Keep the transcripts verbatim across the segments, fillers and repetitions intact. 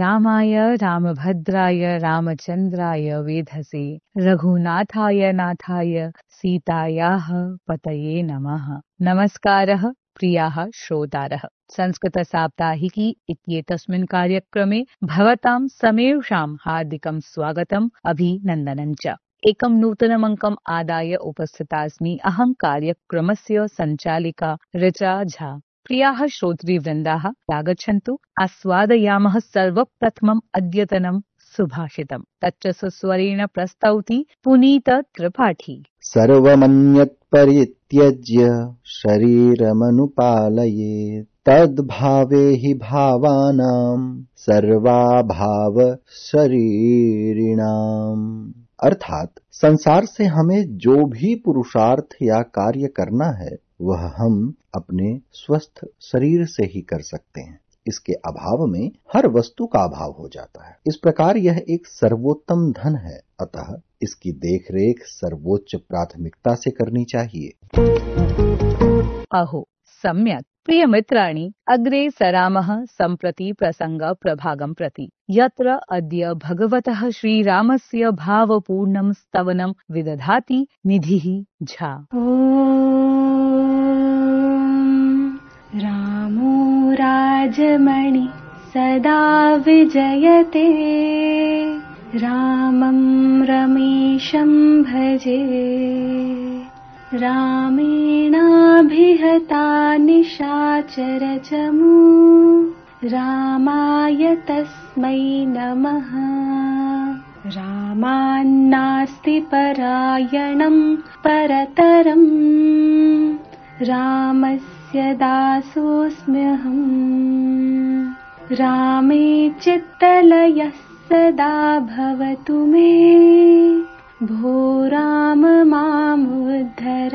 रामाय रामभद्राय रामचन्द्राय वेधसे रघुनाथाय नाथाय सीतायाः पतये नमः। नमस्कारः प्रियाः श्रोतारः। संस्कृत साप्ताहिकी इत्येतस्मिन् कार्यक्रमे भवतां समेषां हार्दिकं स्वागतम् अभिनन्दनं च। एकं नूतनमङ्कम् आदाय उपस्थितास्मि अहं कार्यक्रमस्य सञ्चालिका ऋचा झा। प्रियाः श्रोतृवृन्दाः आगच्छन्तु आस्वादयामः सर्वप्रथमम् अद्यतनं सुभाषितम्। तच्च सुस्वरेण प्रस्तौति पुनीत त्रिपाठी। सर्वमन्यत् परित्यज्य शरीरमनुपालयेत् तद्भावे हि भावानां सर्वाभाव शरीरिणाम्। अर्थात संसार से हमें जो भी पुरुषार्थ या कार्य करना है वह हम अपने स्वस्थ शरीर से ही कर सकते हैं। इसके अभाव में हर वस्तु का अभाव हो जाता है। इस प्रकार यह एक सर्वोत्तम धन है, अतः इसकी देखरेख सर्वोच्च प्राथमिकता से करनी चाहिए। अहो सम्यक्। प्रिय मित्राणि, अग्रे सरामः सम्प्रति प्रसंग प्रभागं प्रति, यत्र अद्य भगवतः श्रीरामस्य भावपूर्णं स्तवनं विदधाति निधिः झा। रामो राजमणि सदा विजयते रामं रमेशं भजे रामेणाभिहता निशाचरचमू रामाय तस्मै नमः। रामान्नास्ति परायणं परतरम् रामस्य दासोऽस्म्यहम्। रामे चित्तलयः सदा भवतु मे भो राम मामुद्धर।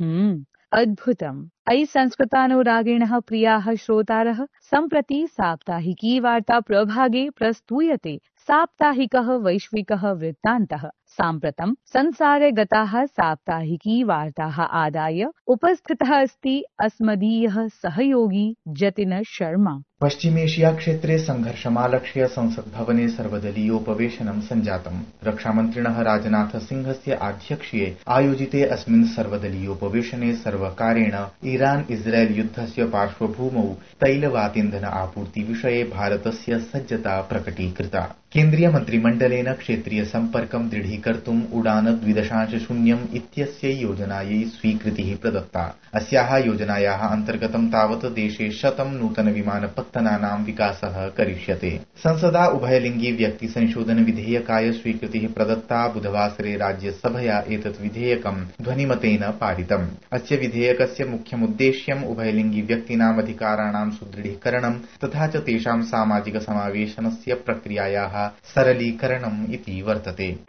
हम्म अद्भुतम्। अयि संस्कृतानुरागिणः प्रियाः श्रोतारः, सम्प्रति साप्ताहिकी वार्ता प्रभागे प्रस्तूयते साप्ताहिकः वैश्विकः वृत्तान्तः। साम्प्रतं संसारे गताः साप्ताहिकी वार्ताः आदाय उपस्थितः अस्ति अस्मदीयः सहयोगी जतिन शर्मा। पश्चिमेशिया क्षेत्रे संघर्षमालक्ष्य संसद भवने सर्वदलीयोपवेशनं सञ्जातम्। रक्षामन्त्रिणः राजनाथ सिंहस्य आध्यक्ष्ये आयोजिते अस्मिन् सर्वदलीयोपवेशने सर्वकारेण ईरान इस्राएल युद्धस्य पार्श्वभूमौ तैलवातीन्धन आपूर्ति विषये भारतस्य सज्जता प्रकटीकृता। केन्द्रीय मन्त्रिमण्डलेन क्षेत्रीय सम्पर्कं दृढीकर्तुम् उडान द्विदशांश शून्यम् इत्यस्यै योजनायै स्वीकृतिः प्रदत्ता। अस्याः योजनायाः अन्तर्गतं तावत् देशे शतं नूतन विमानपत्तनानां विकासः करिष्यते। संसदा उभयलिङ्गी व्यक्ति संशोधन विधेयकाय स्वीकृतिः प्रदत्ता। बुधवासरे राज्यसभया एतत् विधेयकं ध्वनिमतेन पारितम्। अस्य विधेयकस्य मुख्यमुद्देश्यम् उभयलिङ्गी व्यक्तीनाम् अधिकाराणां सुदृढीकरणं तथा च तेषां सामाजिक समावेशनस्य प्रक्रियायाः सरलीकरणम् इति वर्तते।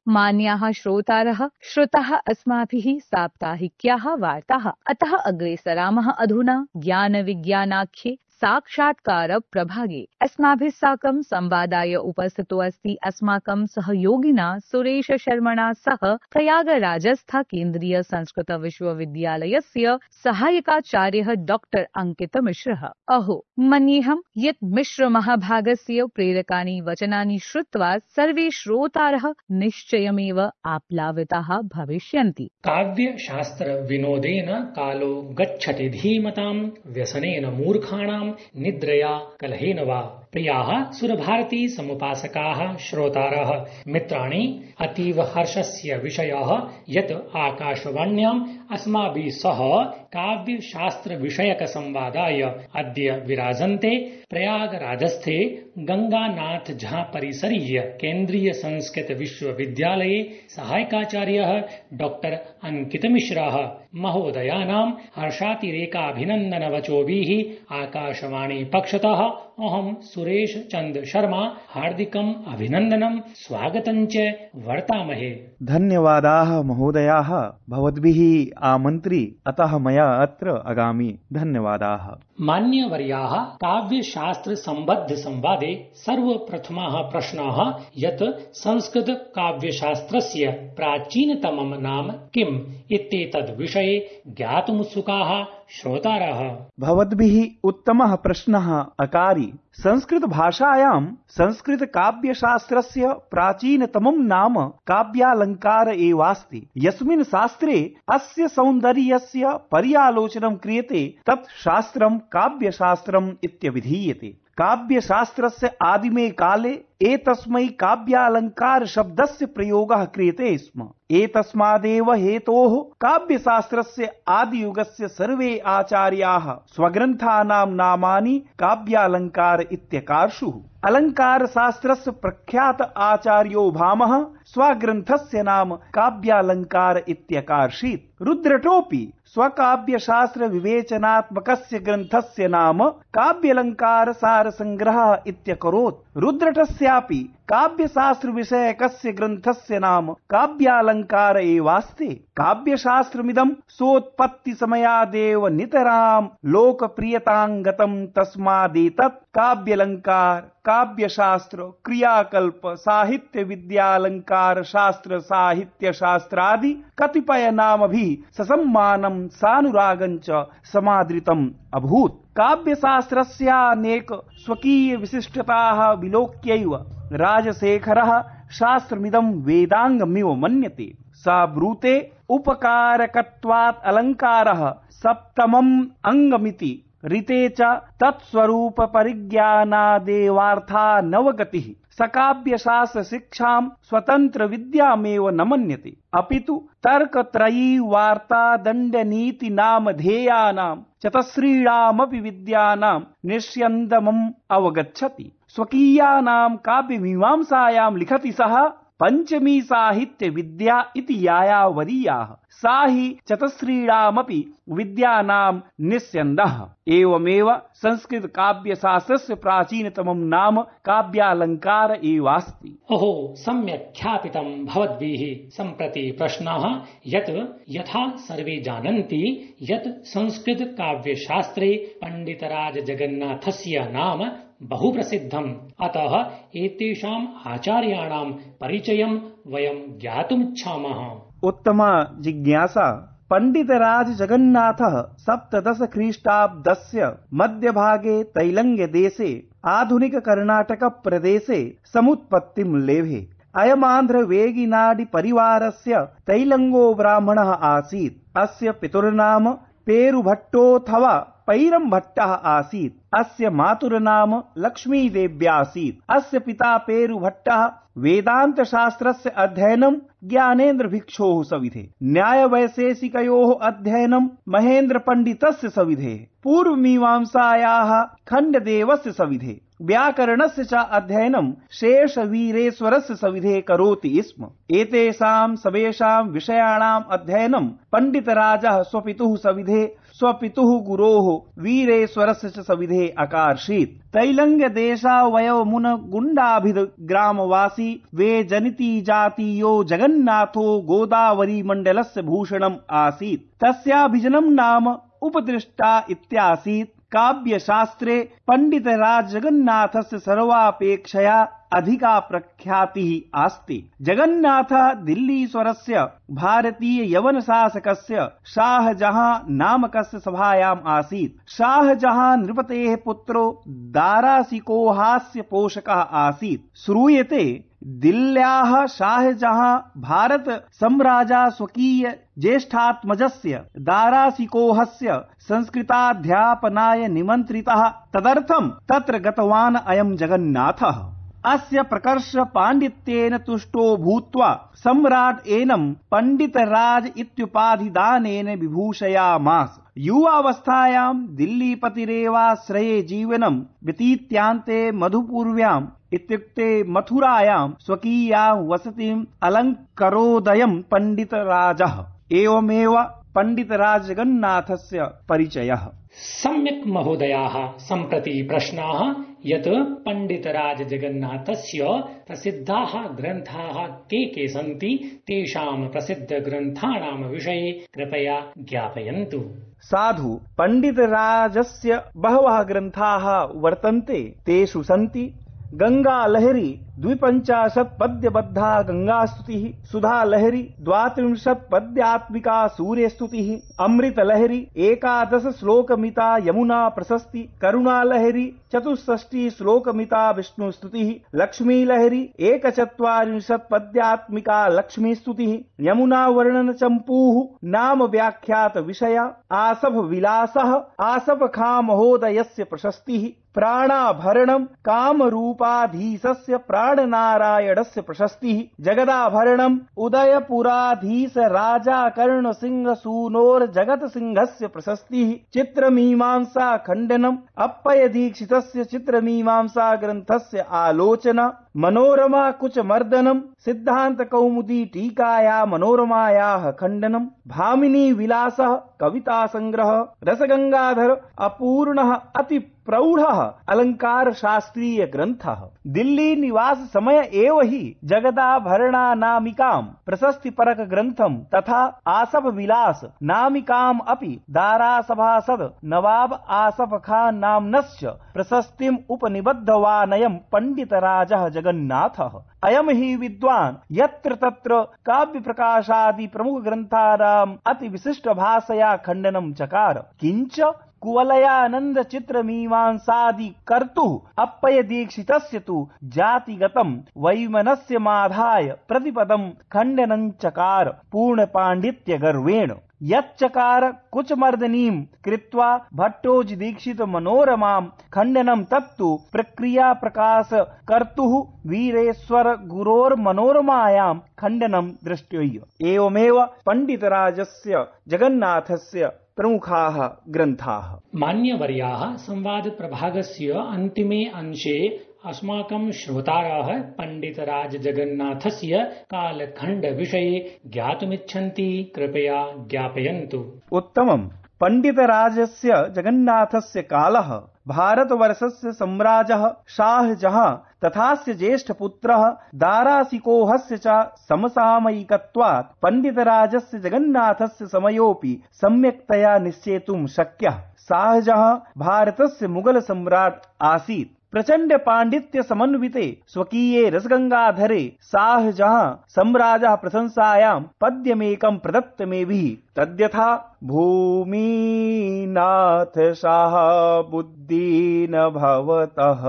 मान्याः श्रोतारः, श्रुतः अस्माभिः साप्ताहिक्याः वार्ताः, अतः अग्रे सरामः अधुना ज्ञान विज्ञानाख्ये साक्षात्कार प्रभागे। अस्माभिः साकं संवादाय उपस्थितो अस्ति अस्माकं सहयोगिना सुरेश शर्मणा सह प्रयागराजस्थ केन्द्रीय संस्कृत विश्वविद्यालयस्य सहायकाचार्यः डॉक्टर अंकित मिश्रः। अहो मन्येऽहं यत् मिश्र महाभागस्य प्रेरकानि वचनानि श्रुत्वा सर्वे श्रोतारः निश्चयमेव आप्लाविताः भविष्यन्ति। काव्य शास्त्र विनोदेन कालो गच्छति धीमतां व्यसनेन मूर्खाणां निद्रया कलहेन वा। प्रियाः सुरभारती समुपासकाः श्रोतारः मित्राणि, अतीव हर्षस्य विषयः यत् आकाशवाण्याम् अस्माभिः सह काव्य शास्त्र विषयक संवादाय अद्य विराजन्ते प्रयागराजस्थे गंगानाथ झा परिसरीय केन्द्रीय संस्कृत विश्वविद्यालये सहायकाचार्यः डॉक्टर अंकित मिश्रः महोदयानां हर्षातिरेकाभिनन्दनवचोभिः आकाशवाणी पक्षतः अहं सुरेश चंद शर्मा हार्दिकम् अभिनन्दनं स्वागतं च वर्तामहे। धन्यवादाः महोदयाः, भवद्भिः आमन्त्री, अतः मया अत्र आगामि। धन्यवादाः। मान्यवर्याः काव्यशास्त्र सम्बद्ध संवादे सर्वप्रथमः प्रश्नः यत् संस्कृत काव्यशास्त्रस्य प्राचीनतमं नाम किम् इत्येतद् विषये ज्ञातुमुत्सुकाः श्रोतारः। भवद्भिः उत्तमः प्रश्नः अकारि। संस्कृत भाषायां संस्कृत काव्यशास्त्रस्य प्राचीनतमं नाम काव्यालङ्कार एवास्ति। यस्मिन् शास्त्रे अस्य सौन्दर्यस्य पर्यालोचनं क्रियते तत् शास्त्रं काव्यशास्त्रम् इत्यभिधीयते। काव्यशास्त्रस्य आदिमे काले एतस्मै काव्यालङ्कार शब्दस्य प्रयोगः क्रियते स्म। एतस्मादेव हेतोः काव्यशास्त्रस्य आदियुगस्य सर्वे आचार्याः स्वग्रन्थानां नामानि काव्यालङ्कार इत्यकार्षुः। अलङ्कारशास्त्रस्य प्रख्यात आचार्यो भामः स्वग्रन्थस्य नाम काव्यालङ्कार इत्यकार्षीत्। रुद्रटोऽपि स्वकाव्यशास्त्र विवेचनात्मकस्य ग्रन्थस्य नाम काव्यालङ्कार सार संग्रहः इत्यकरोत्। रुद्रटस्यापि काव्यशास्त्र विषयकस्य ग्रन्थस्य नाम काव्यालङ्कार एवास्ति। काव्यशास्त्रमिदं सोत्पत्ति समयादेव नितरां लोकप्रियतां गतं, तस्मादेतत् काव्यालङ्कार, काव्यशास्त्र, क्रियाकल्प, साहित्य विद्यालङ्कार शास्त्र, साहित्य शास्त्रादि कतिपय नामभिः ससम्मानं सानुरागं च समादृतम् अभूत्। काव्यशास्त्रस्यानेक स्वकीय विशिष्टताः विलोक्यैव राजशेखरः शास्त्रमिदं वेदाङ्गमिव मन्यते। स ब्रूते उपकारकत्वात् अलङ्कारः सप्तमम् अङ्गमिति। ऋते च तत्स्वरूप परिज्ञानादेवार्था नवगतिः। सकाव्यशास्त्र शिक्षां स्वतंत्र विद्यामेव न मन्यते, अपितु तर्कत्रयी वार्ता दण्डनीति नामधेयानां चतस्रीणामपि विद्यानां निष्यन्दमम् अवगच्छति। स्वकीयानां काव्यमीमांसायां लिखति सः पंचमी साहित्य विद्या इति याया वरीयाः, सा हि चतस्रीणामपि विद्यानां निस्यन्दः। एवमेव संस्कृत काव्यशास्त्रस्य प्राचीनतमं नाम काव्यालङ्कार एवास्ति। ओहो, सम्यक् ख्यापितं भवद्भिः। सम्प्रति प्रश्नः यत् यथा सर्वे जानन्ति यत् संस्कृत काव्यशास्त्रे पंडितराज जगन्नाथस्य नाम बहु प्रसिद्धम्, अतः एतेषाम् आचार्याणां परिचयं वयं ज्ञातुमिच्छामः। उत्तमा जिज्ञासा। पंडितराज जगन्नाथः सप्तदश ख्रीष्टाब्दस्य मध्यभागे तैलङ्ग देशे आधुनिक कर्णाटक प्रदेशे समुत्पत्तिं लेभे। अयमान्ध्र वेगिनाडि परिवारस्य तैलङ्गो ब्राह्मणः आसीत्। अस्य पितुर्नाम पेरुभट्टोऽथवा पैरम्भट्टः आसीत्। अस्य मातुर्नाम लक्ष्मीदेव्यासीत्। अस्य पिता पेरुभट्टः वेदांत शास्त्रस्य अध्ययनं ज्ञानेन्द्र भिक्षोः सविधे, न्यायवैशेषिकयोः अध्ययनं महेन्द्र पण्डितस्य सविधे, पूर्वमीमांसायाः खण्डदेवस्य सविधे, व्याकरणस्य च अध्ययनं शेषवीरेश्वरस्य सविधे करोति स्म। एतेषां सर्वेषां विषयाणाम् अध्ययनं पण्डितराजः स्वपितुः सविधे, स्वपितुः गुरोः वीरेश्वरस्य च सविधे अकार्षीत्। तैलङ्ग देशावयवमुन गुण्डाभिध ग्रामवासी वे जनिति जातीयो जगन्नाथो गोदावरी मण्डलस्य भूषणम् आसीत्। तस्याभिजनं नाम उपदृष्टा इत्यासीत्। काव्यशास्त्रे पंडितराज जगन्नाथस्य सर्वापेक्षया अधिका प्रख्यातिः अस्ति। जगन्नाथः दिल्लीश्वरस्य भारतीय यवन शासकस्य शाहजहां नामकस्य सभायाम् आसीत्। शाहजहां नृपतेः पुत्रो दारासिकोहास्य पोषकः आसीत्। श्रूयते दिल्ल्याः शाहजहां भारत सम्राजा स्वकीय ज्येष्ठात्मजस्य दारासिकोहस्य संस्कृताध्यापनाय निमन्त्रितः। तदर्थं तत्र गतवान् अयं जगन्नाथः। अस्य प्रकर्ष पाण्डित्येन तुष्टो भूत्वा सम्राट् एनं पंडितराज इत्युपाधिदानेन विभूषयामास। युवावस्थायां दिल्लीपतिरेवाश्रये जीवनं व्यतीत्यान्ते मधुपूर्व्याम् इत्युक्ते मथुरायां स्वकीयां वसतिम् अलङ्करोदयं पंडितराजः। एवमेव पंडितराज जगन्नाथस्य परिचयः। सम्यक् महोदयाः, सम्प्रति प्रश्नाः यत् पण्डितराज जगन्नाथस्य प्रसिद्धाः ग्रन्थाः के के सन्ति, तेषां प्रसिद्धग्रन्थानां विषये कृपया ज्ञापयन्तु। साधु, पण्डितराजस्य बहवः ग्रन्थाः वर्तन्ते। तेषु सन्ति गंगा लहरी द्विपञ्चाशत् पद्यबद्धा गंगास्तुतिः, सुधा लहरी द्वात्रिंशत् पद्यात्मिका सूर्यस्तुतिः, अमृत लहरी एकादश श्लोकमिता यमुना प्रशस्ति, करुणा लहरी चतुष्षष्टि श्लोकमिता विष्णुस्तुतिः, लक्ष्मी लहरी एकचत्वारिंशत् पद्यात्मिका लक्ष्मीस्तुतिः, यमुना वर्णन चम्पूः नाम व्याख्यात विषय, आसभ विलासः आसफ खां महोदयस्य प्रशस्तिः, प्राणाभरणम् कामरूपाधीशस्य प्राणनारायणस्य प्रशस्तिः, जगदाभरणम् उदयपुराधीश राजा कर्ण सिंह सूनोर जगत सिंहस्य प्रशस्तिः, चित्रमीमांसा खण्डनम् अप्पय दीक्षितस्य चित्रमीमांसा ग्रन्थस्य आलोचना, मनोरमा कुचमर्दनम् सिद्धान्त कौमुदी टीकाया मनोरमायाः खण्डनम्, भामिनी विलासः कविता संग्रह, रसगंगाधर अपूर्णः अति प्रौढ़ः अलंकार शास्त्रीय ग्रन्थः, दिल्ली निवास समय एव हि जगदाभरणा नामिकाम् प्रशस्ति परक ग्रन्थम् तथा आसफ विलास नामिकाम् अपि दारासभासद नवाब आसफ खान नाम्नश्च प्रशस्तिम् उपनिबद्धवानयम् पण्डितराजः जगन्नाथः। अयम् हि विद्वान् यत्र तत्र काव्य प्रकाशादि प्रमुख ग्रन्थानाम् अति विशिष्ट भाषया खण्डनं चकार, किञ्च कुवलयानंद चित्र मीमांसादि कर्तुः अप्पय दीक्षितस्य तु जातिगतम् वैमनस्यमाधाय प्रतिपदम् खण्डनं चकार पूर्ण पाण्डित्य गर्वेण। यच्चकार कुचमर्दनीम् कृत्वा भट्टोज दीक्षित मनोरमाम् खण्डनं तत्तु प्रक्रिया प्रकाश कर्तुः वीरेश्वर गुरोर मनोरमायाम् खण्डनं दृष्ट्यैव। एवमेव पण्डितराजस्य जगन्नाथस्य प्रमुखाः ग्रन्थाः। मान्यवर्याः, संवाद प्रभागस्य अन्तिमे अंशे अस्माकं श्रोताराः पण्डितराज जगन्नाथस्य कालखण्ड विषये ज्ञातुमिच्छन्ति, कृपया ज्ञापयन्तु। उत्तमम्। पण्डितराजस्य जगन्नाथस्य कालः भारतवर्षस्य सम्राजः शाहजहाँ तथास्य ज्येष्ठपुत्रः दारासिकोहस्य च समसामयिकत्वात् पण्डितराजस्य जगन्नाथस्य समयोऽपि सम्यक्तया निश्चेतुं शक्यः। शाहजहाँ भारतस्य मुगल सम्राट् आसीत्। प्रचंड पांडित्य समन्विते स्वकीये रसगंगाधरे शाहजहाँ सम्राजः प्रशंसायां पद्यमेकं प्रदत्तमेभिः तद्यथा भूमिनाथ शाहाबुद्दीन भवतः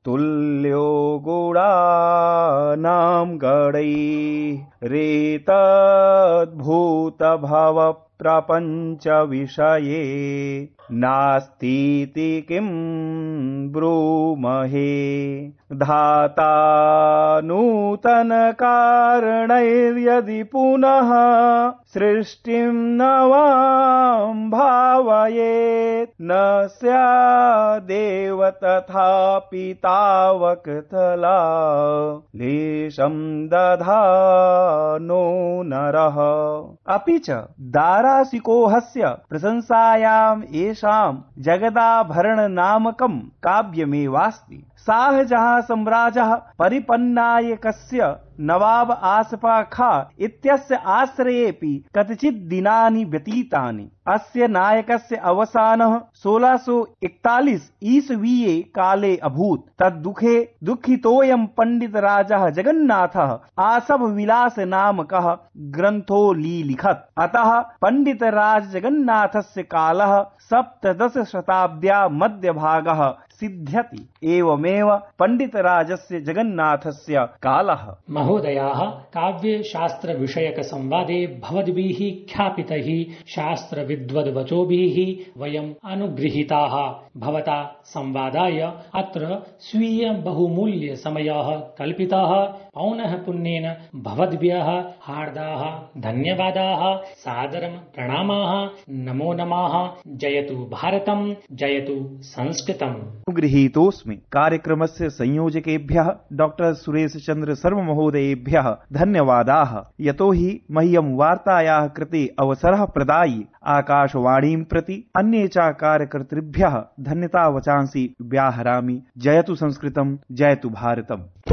तुल्यो गुणानां गणैः रेतद्भूत भव प्रपंच विषये नास्तीति किं ब्रूमहे धाता नूतन कारणैर्यदि पुनः सृष्टिं नवां भावयेत् न स्यादेव तथापि तावकतला लेशं दधानो नरः। अपि च दारासिकोहस्य प्रशंसायाम् येषां जगदाभरण नामकं काव्यमेवास्ति। शाहजहाँ सम्राजः परिपन्नायकस्य नवाब आसफा खां इत्यस्य आश्रयेऽपि कतिचित् दिनानि व्यतीतानि। अस्य नायकस्य अवसानः सोलह सौ इकतालीस ईस्वीये काले अभूत्। तद्दुःखे दुःखितोऽयं पण्डितराजः जगन्नाथः आसफ विलास नामकः ग्रन्थो लिलिखत्। अतः पण्डितराज जगन्नाथस्य कालः सप्तदश शताब्द्या मध्यभागः सिद्ध्यति। एवमेव पण्डितराजस्य जगन्नाथस्य कालः। महोदयाः, काव्यशास्त्र विषयक संवादे भवद्भिः ख्यापितैः शास्त्र विद्वद्वचोभिः वयम् अनुगृहीताः। भवता संवादाय अत्र स्वीय बहुमूल्य समयः कल्पितः। पौनः पुण्येन भवद्भ्यः हार्दाः धन्यवादाः, सादरं प्रणामाः, नमो नमः। जयतु भारतम्, जयतु संस्कृतम्। गृहीतोऽस्मि। कार्यक्रमस्य संयोजकेभ्यः डॉक्टर सुरेश चंद्र शर्मा महोदयेभ्यः धन्यवादाः। यतो हि मह्यं वार्तायाः कृते अवसरः प्रदायि आकाशवाणीं प्रति अन्ये च कार्यकर्तृभ्यः धन्यता वचांसि व्याहरामि। जयतु संस्कृतं, जयतु भारतम्।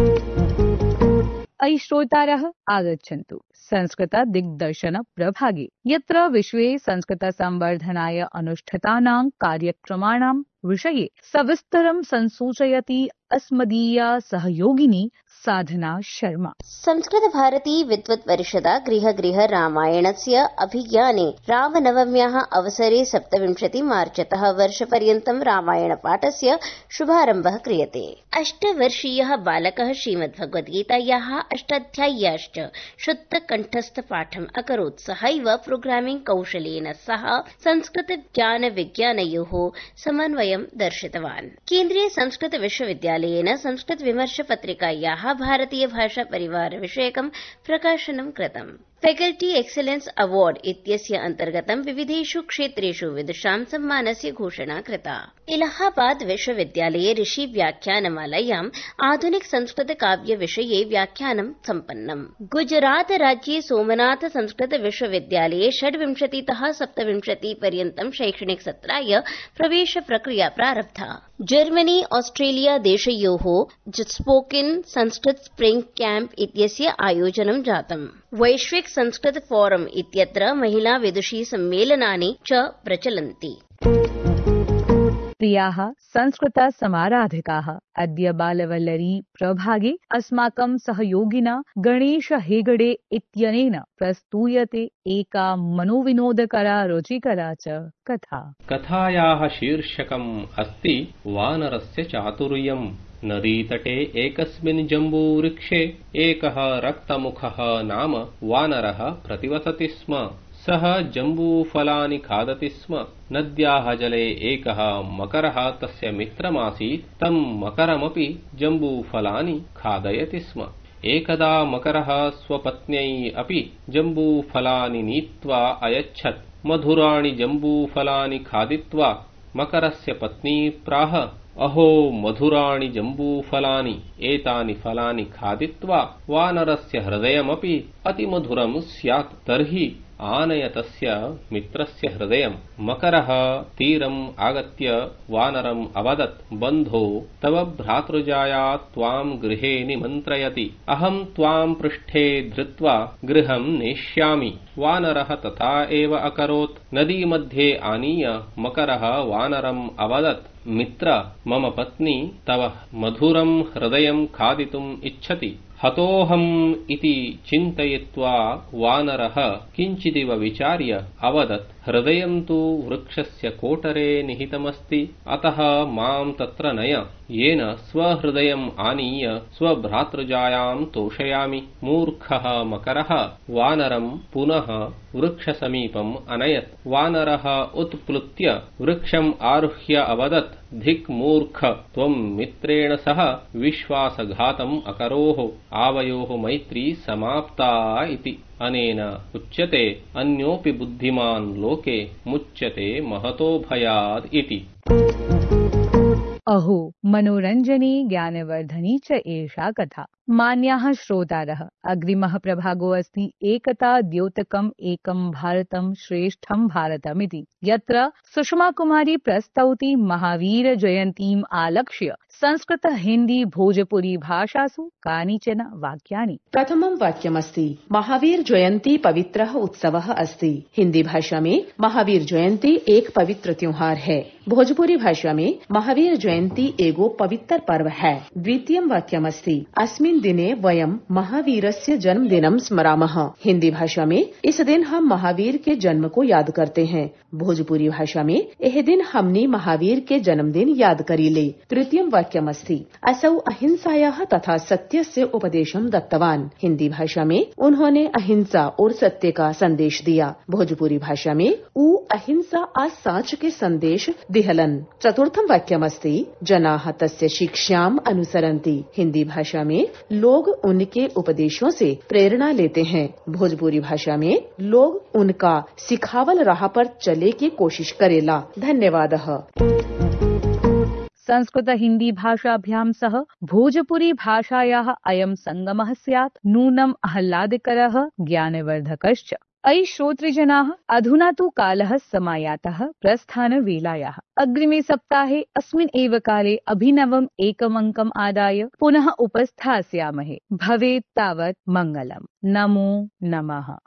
अयि श्रोतारः, आगच्छन्तु संस्कृत दिग्दर्शन प्रभागे, यत्र विश्वे संस्कृत संवर्धनाय अनुष्ठितानां कार्यक्रमाणां विषये सविस्तरं संसूचयति अस्मदीया सहयोगिनी साधना शर्मा। संस्कृत भारती विद्वत् परिषदा गृह गृह रामायणस्य अभिज्ञाने रामनवम्याः अवसरे सप्तविंशति मार्चतः वर्षपर्यन्तं रामायणपाठस्य शुभारम्भः क्रियते। अष्टवर्षीयः बालकः श्रीमद्भगवद्गीतायाः अष्टाध्याय्याश्च शुद्धकण्ठस्थपाठम् अकरोत्। सहैव प्रोग्रामिंग् कौशलेन सह संस्कृत ज्ञान विज्ञानयोः समन्वयं दर्शितवान्। केन्द्रीय संस्कृत विश्वविद्यालयेन संस्कृत विमर्श पत्रिकायाः भारतीय भाषा परिवार विषयकं प्रकाशनं कृतम्। फैकल्टी एक्सेलेन्स अवार्ड इत्यस्य अन्तर्गतं विविधेषु क्षेत्रेषु विदुषां सम्मानस्य घोषणा कृता। इलाहाबाद विश्वविद्यालये ऋषि व्याख्यानमालायाम् आधुनिक संस्कृत काव्य विषये व्याख्यानं सम्पन्नम्। गुजरात राज्ये सोमनाथ संस्कृत विश्वविद्यालये षड्विंशतितः सप्तविंशति पर्यन्तं शैक्षणिक सत्राय प्रवेश प्रक्रिया प्रारब्धा। जर्मनी ऑस्ट्रेलिया देशयोः स्पोकेन संस्कृत स्प्रिंग कैंप इत्यस्य आयोजनं जातम्। वैश्विक संस्कृत फोरम इत्यत्र महिला विदुषी सम्मेलनानि च प्रचलन्ति। प्रियाः संस्कृत समाराधिकाः, अद्य बालवल्लरी प्रभागे अस्माकं सहयोगिना गणेश हेगडे इत्यनेन प्रस्तूयते एका मनोविनोदकरा रुचिकरा च कथा। कथायाः शीर्षकम् अस्ति वानरस्य चातुर्यम्। नदीतटे एकस्मिन् जम्बूवृक्षे एकः रक्तमुखः नाम वानरः प्रतिवसति स्म। सः जम्बूफलानि खादति स्म। नद्याः जले एकः मकरः तस्य मित्रमासीत्। तं मकरमपि जम्बूफलानि खादयति स्म। एकदा मकरः स्वपत्न्यै अपि जम्बूफलानि नीत्वा अयच्छत्। मधुराणि जम्बूफलानि खादित्वा मकरस्य पत्नी प्राह, अहो मधुराणि जम्बूफलानि, एतानि फलानि खादित्वा वानरस्य हृदयमपि अतिमधुरं स्यात्, तर्हि आनय तस्य मित्रस्य हृदयम्। मकरः तीरम् आगत्य वानरम् अवदत्, बन्धो तव भ्रातृजाया त्वाम् गृहे निमन्त्रयति। अहम् त्वाम् पृष्ठे धृत्वा गृहम् नेष्यामि। वानरः तथा एव अकरोत्। नदीमध्ये आनीय मकरः वानरम् अवदत्, मित्र, मम पत्नी तव मधुरम् हृदयम् खादितुम् इच्छति। हतोऽहम् इति चिन्तयित्वा वानरः किञ्चिदिव विचार्य अवदत्, हृदयम् तु वृक्षस्य कोटरे निहितमस्ति, अतः माम् तत्र नय, येन स्वहृदयम् आनीय स्वभ्रातृजायाम् तोषयामि। मूर्खः मकरः वानरम् पुनः वृक्षसमीपम् अनयत्। वानरः उत्प्लुत्य वृक्षम् आरुह्य अवदत्, धिक् मूर्ख, त्वम् मित्रेण सह विश्वासघातम् अकरोः, आवयोः मैत्री समाप्ता इति। अनेन उच्यते अन्योऽपि बुद्धिमान् लोके मुच्यते महतो भयात् इति। अहो मनोरञ्जनी ज्ञानवर्धनी च एषा कथा। मान्याः श्रोतारः, अग्रिमः प्रभागो अस्ति एकता द्योतकम् एकं भारतं श्रेष्ठं भारतमिति, यत्र सुषमा कुमारी प्रस्तौति महावीर जयन्तीम् आलक्ष्य संस्कृत हिंदी भोजपुरी भाषासु कानिचन वाक्यानि। प्रथमं वाक्यमस्ति, महावीर जयंती पवित्रः उत्सवः अस्ति। हिंदी भाषा में महावीर जयंती एक पवित्र त्योहार है। भोजपुरी भाषा में महावीर जयंती एगो पवित्र पर्व है। द्वितीयं वाक्यमस्ति, अस्मिन् दिने वयं महावीरस्य जन्मदिनं स्मरामः। हिंदी भाषा में इस दिन हम महावीर के जन्म को याद करते हैं। भोजपुरी भाषा में यह दिन हमने महावीर के जन्मदिन याद करीले। तृतीयं वाक्यमस्ति, असौ अहिंसायाः तथा सत्यस्य उपदेशं दत्तवान्। हिंदी भाषा में उन्होंने अहिंसा और सत्य का संदेश दिया। भोजपुरी भाषा में ऊ अहिंसा आ साच के संदेश दिहलन। चतुर्थं वाक्यमस्ति, जनाः तस्य शिक्षाम् अनुसरन्ति। हिंदी भाषा में लोग उनके उपदेशों से प्रेरणा लेते हैं। भोजपुरी भाषा में लोग उनका सिखावल राह पर चले की कोशिश करेला। धन्यवादः। संस्कृत हिंदी भाषाभ्यां सह भोजपुरी भाषायाः अयं संगमः स्यात् नूनम् आह्लादकरः ज्ञानवर्धकश्च। अयि श्रोतृजनाः, अधुना तु कालः समायातः प्रस्थानवेलायाः। अग्रिमे सप्ताहे अस्मिन् एव काले अभिनवम् एकमङ्कम् आदाय पुनः उपस्थास्यामहे। भवेत् तावत् मङ्गलम्। नमो नमः।